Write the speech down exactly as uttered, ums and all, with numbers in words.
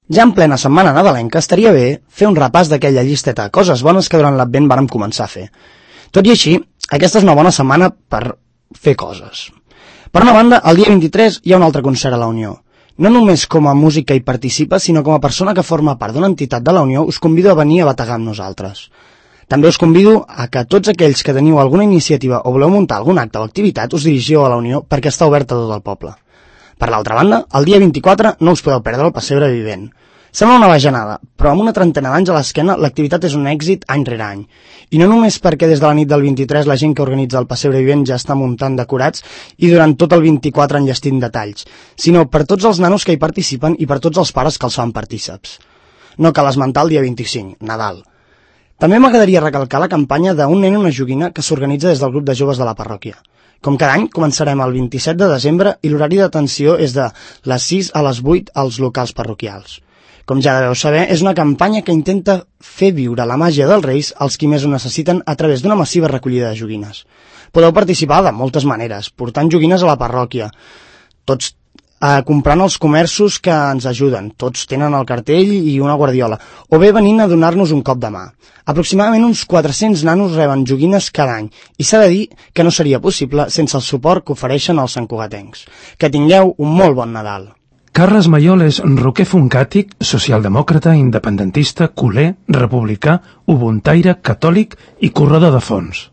Ja en plena setmana nadalenca estaria bé fer un repàs d'aquella llisteta de coses bones que durant l'Advent vàrem començar a fer. Tot i així, aquesta és una bona setmana per fer coses. Per una banda, el dia vint-i-tres hi ha un altre concert a la Unió. No només com a músic que hi participa, sinó com a persona que forma part d'una entitat de la Unió, us convido a venir a bategar amb nosaltres. També us convido a que tots aquells que teniu alguna iniciativa o voleu muntar algun acte o activitat us dirigiu a la Unió perquè està oberta a tot el poble. Per l'altra banda, el dia vint-i-quatre no us podeu perdre el pessebre vivent. Sembla una bajanada, però amb una trentena d'anys a l'esquena l'activitat és un èxit any rere any. I no només perquè des de la nit del vint-i-tres la gent que organitza el pessebre vivent ja està muntant decorats i durant tot el vint-i-quatre enllestint detalls, sinó per tots els nanos que hi participen i per tots els pares que els fan partíceps. No cal esmentar el dia vint-i-cinc, Nadal. També m'agradaria recalcar la campanya d'un nen i una joguina que s'organitza des del grup de joves de la parròquia. Com cada any, començarem el vint-i-set de desembre i l'horari d'atenció és de les sis a les vuit als locals parroquials. Com ja deveu saber, és una campanya que intenta fer viure la màgia dels Reis als qui més ho necessiten a través d'una massiva recollida de joguines. Podeu participar de moltes maneres, portant joguines a la parròquia, tots eh, comprant als comerços que ens ajuden, tots tenen el cartell i una guardiola, o bé venint a donar-nos un cop de mà. Aproximadament uns quatre-cents nanos reben joguines cada any, i s'ha de dir que no seria possible sense el suport que ofereixen els santcugatencs. Que tingueu un molt bon Nadal. Carles Mayol és roquer funkàtic, socialdemòcrata, independentista, culer, republicà, ubuntaire, catòlic i corredor de fons.